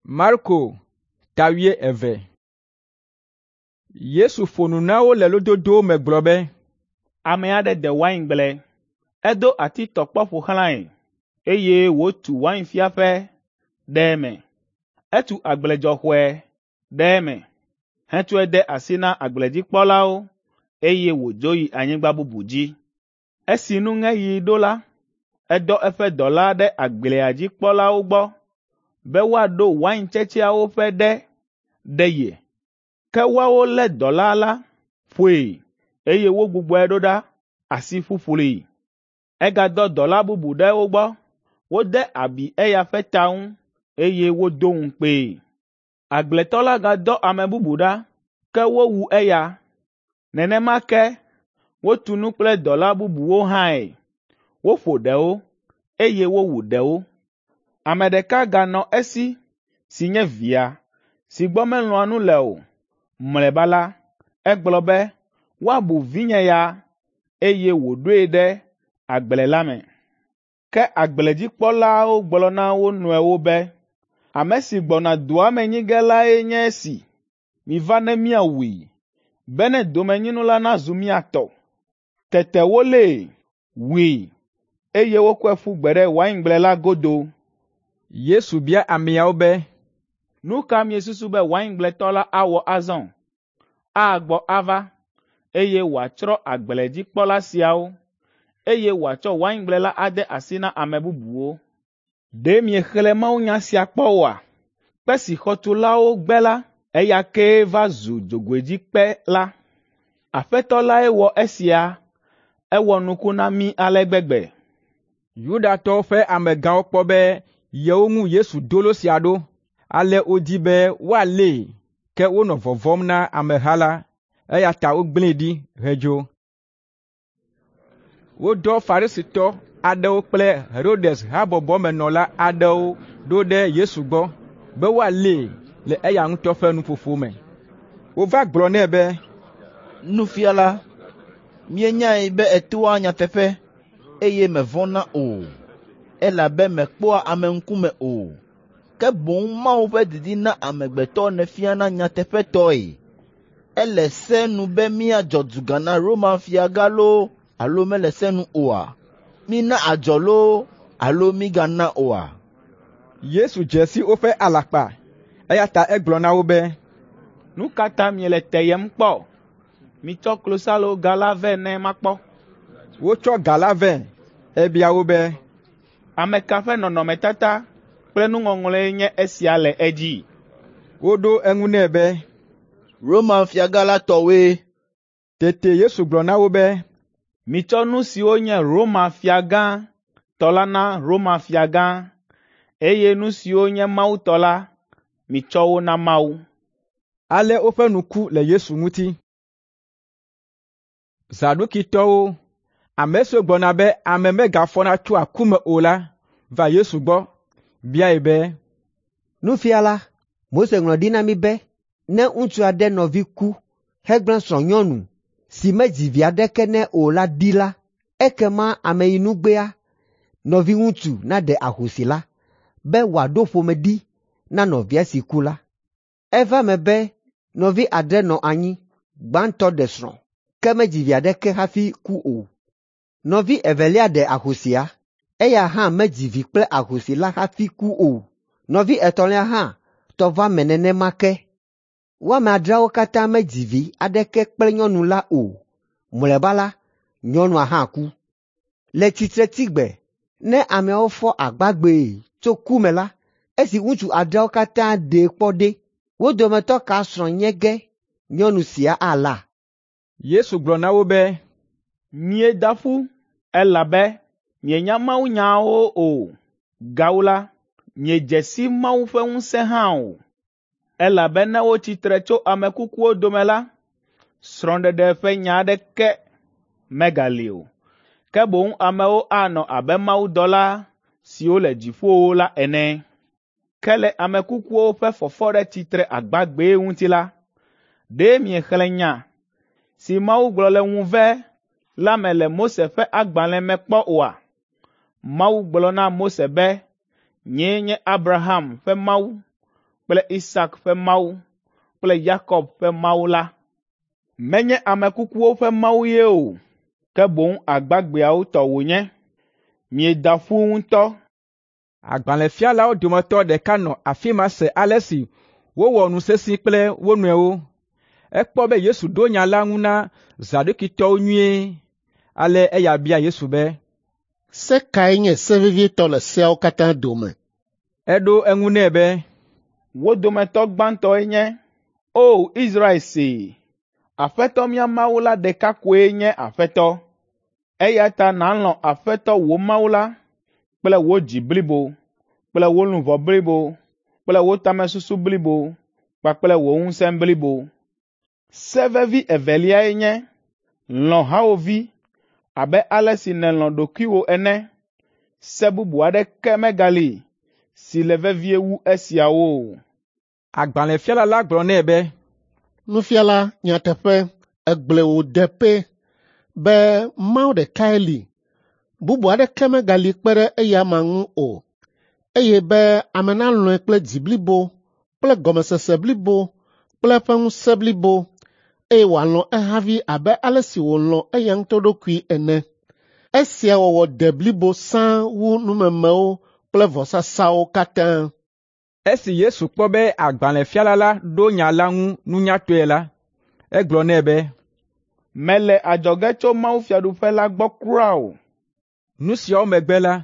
Marko ta 12. Yesu ƒo nu na wo le lododowo me gblɔ be, Ame aɖe de waingble, edo atitɔkpɔ ƒo xlãe, eye wòtu wainfiaƒe ɖe eme. Etu agbledzɔxɔe ɖe eme, hetsɔe de asi na agbledzikpɔlawo, eye wòdzo yi anyigba bubu dzi. Esi nuŋeɣi ɖo la, edɔ eƒe dɔla ɖe agblea dzi kpɔlawo gbɔ be woaɖo waintsetseawo ƒe ɖe ɖe ye. Ke woawo lé dɔla la, ƒoe, eye wogbugbɔe ɖo ɖa asi ƒuƒlui. Egadɔ dɔla bubu ɖe wo gbɔ. Wode abi eya ƒe ta ŋu, eye wodo ŋukpee. Agbletɔ la gadɔ ame bubu ɖa, ke wowu eya. Nenema ke wotu nu kple dɔla bubuwo hãe. Woƒo ɖewo, eye wowu ɖewo. Ame ɖeka ganɔ esi si nye via, si gbɔ melɔ̃a nu le o. Mlɔeba la, egblɔ be, ‘Woabu vinye ya,’ eye wòɖoe ɖe agble la me. Ke agbledzikpɔlawo gblɔ na wo nɔewo be, ‘Ame si gbɔna doa me nyi ge lae nye esi. Miva ne míawui, bene domenyinu la nazu mía tɔ.’ Tete wolée, wui, eye wokɔe ƒu gbe ɖe waingble la godo. Yesu bia ameawo be, “Nu ka miesusu be waingbletɔ la awɔ azɔ? Agbɔ ava, eye wòatsrɔ̃ agbledzikpɔla siawo, eye wòatsɔ waingble la ade asi na ame bubuwo. Ɖe miexlẽ mawunya sia kpɔ oa? Kpe si xɔtulawo gbe la, eya kee va zu dzogoedzikpe la. Aƒetɔ lae wɔ esia, ewɔ nuku na mí ale gbegbe.” Yudatɔwo ƒe amegãwo kpɔ be yewo ŋu Yesu do lo sia ɖo, ale wodi be woalée, ke wonɔ vɔvɔ̃m na ameha la, eya ta wogblẽe ɖi hedzo. Wodɔ Farisitɔ aɖewo kple Herodes habɔbɔmenɔla aɖewo ɖo ɖe Yesu gbɔ be woalée le eya ŋutɔ ƒe nuƒoƒo me. Wova gblɔ nɛ be, Nufiala, míenyae be ètoa nyateƒe, eye mèvɔ̃na o, elabe mèkpɔa ame ŋkume o, ke boŋ Mawu ƒe didi na amegbetɔ nèfiana nyateƒetɔe. Ele se nu be míadzɔ duga na Roma fiagã loo alo mele se nu oa? Mína adzɔ loo alo mígana oa?” Yesu dze si woƒe alakpa, eya ta egblɔ na wo be, “Nu ka ta miele teyem kpɔ? Mitsɔ klosaloga la vɛ ne makpɔ.” Wotsɔ ga la vɛ. Ebia wo be, “Ame ka ƒe nɔnɔmetata kple nuŋɔŋlɔe nye esia le edzi?” Woɖo eŋu nɛ be, “Roma fiagã la tɔwoe.” Tete Yesu gblɔ na wo be, “Mitsɔ nu siwo nye Roma fiagã tɔ la na Roma fiagã, eye nu siwo nye Mawu tɔ la, mitsɔ wo na Mawu.” Ale woƒe nu ku le Yesu ŋuti. Zadukitɔwo, ame siwo gblɔna be ame megafɔna tsoa ku me o la, va Yesu gbɔ, biae be, “Nufiala, Mose ŋlɔ ɖi na mí be, ne ŋutsu aɖe nɔvi ku hegblẽ srɔ̃nyɔnu si medzi vi aɖeke nɛ o la ɖi la, ekema ameyinugbea nɔviŋutsu naɖe ahosi la, be wòaɖo ƒome ɖi na nɔvia si ku la. Eva eme be nɔvi adre nɔ anyi. Gbãtɔ ɖe srɔ̃, ke medzi vi aɖeke hafi ku o. Nɔvi evelia ɖe ahosia, eya hã medzi vi kple ahosi la hafi ku o. Nɔvi etɔ̃lia hã tɔ va eme nenema ke. Wo ame adreawo katã medzi vi aɖeke kple nyɔnu la o. Mlɔeba la, nyɔnua hã ku. Le tsitretsigbe, ne ameawo fɔ agbagbee tso ku me la, esi ŋutsu adreawo katã ɖee kpɔ ɖe, wo dometɔ ka srɔ̃ nye ge nyɔnu sia ala?” Yesu gblɔ na wo be, “Mieda ƒu, elabe mienya mawunyawo o. Gawu la, miedze si Mawu ƒe ŋusẽ hã o. Elabe ne wotsi tre tso ame kukuwo dome la, srɔ̃ɖeɖe ƒe nya aɖeke megali o, ke boŋ amewo anɔ abe mawudɔla siwo le dziƒowo la ene. Ke le ame kukuwo ƒe fɔfɔ ɖe tsitre agbagbee ŋuti la, ɖe miexlẽ nya si Mawu gblɔ le ŋuve la me le Mose ƒe agbalẽ me kpɔ oa? Mawu gblɔ na Mose be, ‘Nyee nye Abraham ƒe Mawu, kple Isak ƒe Mawu kple Yakob ƒe Mawu la. Menye ame kukuwo ƒe Mawu ye o, ke boŋ agbagbeawo tɔ wònye. Mieda ƒu ŋutɔ.” Agbalẽfialawo dometɔ ɖeka nɔ afi ma se ale si wowɔ nu sesĩ kple wo nɔewo. Ekpɔ be Yesu ɖo nya la ŋu na Zadukitɔwo nyuie. Ale eya bia Yesu be, “Se kae nye se vevitɔ le seawo katã dome?” Eɖo eŋu nɛ be, “Wo dometɔ gbãtɔe nye, ‘O Israel see, Aƒetɔ mía Mawu la ɖeka koe nye Aƒetɔ. Eya ta nàlɔ̃ Aƒetɔ wò Mawu la kple wò dzi blibo, kple wò luʋɔ blibo, kple wò tamesusu blibo kpakple wò ŋusẽ blibo.’ Se vevi eveliae nye, ‘Lɔ̃ hawòvi abe ale si nèlɔ̃ ɖokuiwò ene.’ Se bubu aɖeke megali si le vevie wu esiawo o.” Agbalẽfiala la gblɔ nɛ be, “Nufiala, nyateƒe, ègblɔe wòde pɛ be Mawu ɖekae li, bubu aɖeke megali kpe ɖe eya amea ŋu o, eye be ame nalɔ̃e kple dzi blibo kple gɔmesese blibo kple eƒe ŋusẽ blibo, eye wòalɔ̃ ehavi abe ale si wòlɔ̃ eya ŋutɔ ɖokui ene. Esia wɔwɔ de blibo sãa wu numemewo kple vɔsasawo katã.” Esi Yesu kpɔ be agbalẽfiala la ɖo nya la ŋu nunyatɔe la, egblɔ nɛ be, “Mèle adzɔge tso mawufiaɖuƒe la gbɔ kura o.” Nu siawo megbe la,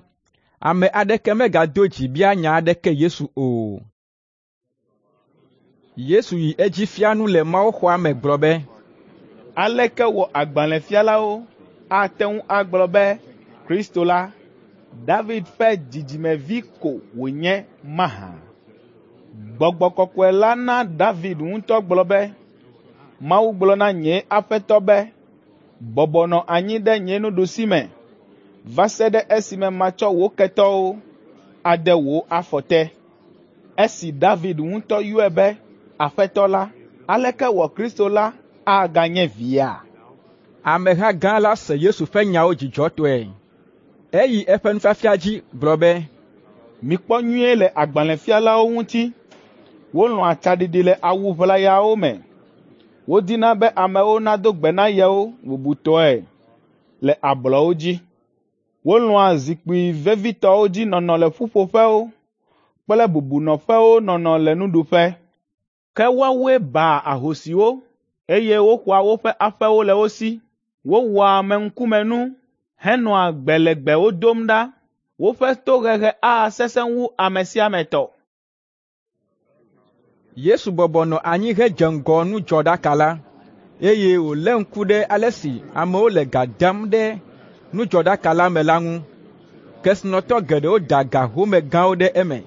ame aɖeke megado dzi bia nya aɖeke Yesu o. Yesu yi edzi fia nu le mawuxɔa me gblɔ be, “Aleke wɔ agbalẽfialawo ate ŋu agblɔ be Kristo la, David ƒe dzidzimevi ko wònye mahã? Gbɔgbɔ Kɔkɔe la na David ŋutɔ gblɔ be, ‘Mawu gblɔ na nye Aƒetɔ be, bɔbɔ nɔ anyi ɖe nye nuɖusime va se ɖe esime matsɔ wò ketɔwo ade wò afɔ te.’ Esi David ŋutɔ yɔe be Aƒetɔ la, aleke wɔ Kristo la aganye via?” Ameha gã la se Yesu ƒe nyawo dzidzɔtɔe. Eyi eƒe nufiafia dzi gblɔ be, “Mikpɔ nyuie le agbalẽfialawo ŋuti. Wolɔ̃a tsaɖiɖi le awu ʋlayawo me. Wodina be amewo nado gbe na yewo bubutɔe le ablɔwo dzi. Wolɔ̃a zikpui vevitɔwo dzi nɔnɔ le ƒuƒoƒewo kple bubunɔƒewo nɔnɔ le nuɖuƒe. Ke woawoe baa ahosiwo, eye woxɔa woƒe aƒewo le wo si. Wowɔa ameŋkumenu henɔa gbe legbewo dom ɖa. Woƒe tohehe asesẽ wu ame sia ame tɔ.” Yesu bɔbɔ nɔ anyi hedze ŋgɔ nudzɔɖaka la, eye wòlé ŋku ɖe ale si amewo le ga dam ɖe nudzɔɖaka la me la ŋu. Kesinɔtɔ geɖewo da ga home gãwo ɖe eme.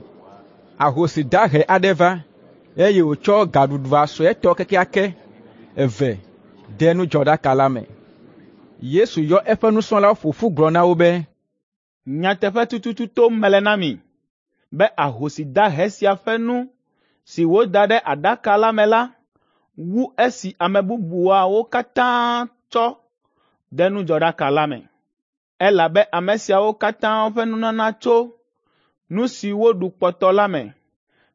Ahosi dahe aɖe va, eye wòtsɔ gaɖuɖua suetɔ kekeake eve de nudzɔɖaka la me. Yesu yɔ eƒe nusrɔ̃lawo ƒo ƒu gblɔ na wo be, “Nyateƒe tututu tom mele na mi be ahosi dahe sia ƒe nu si wòda ɖe aɖaka la me la wu esi ame bubuawo katã tsɔ de nudzɔɖaka la me. Elabe ame siawo katã ƒe nunana tso nu si woɖu kpɔtɔ la me,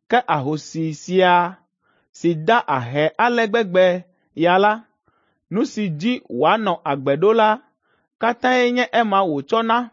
ke ahosi sia si da ahe ale gbegbe ya la, nu si dzi wòanɔ agbe ɖo la katãe nye ema wòtsɔ na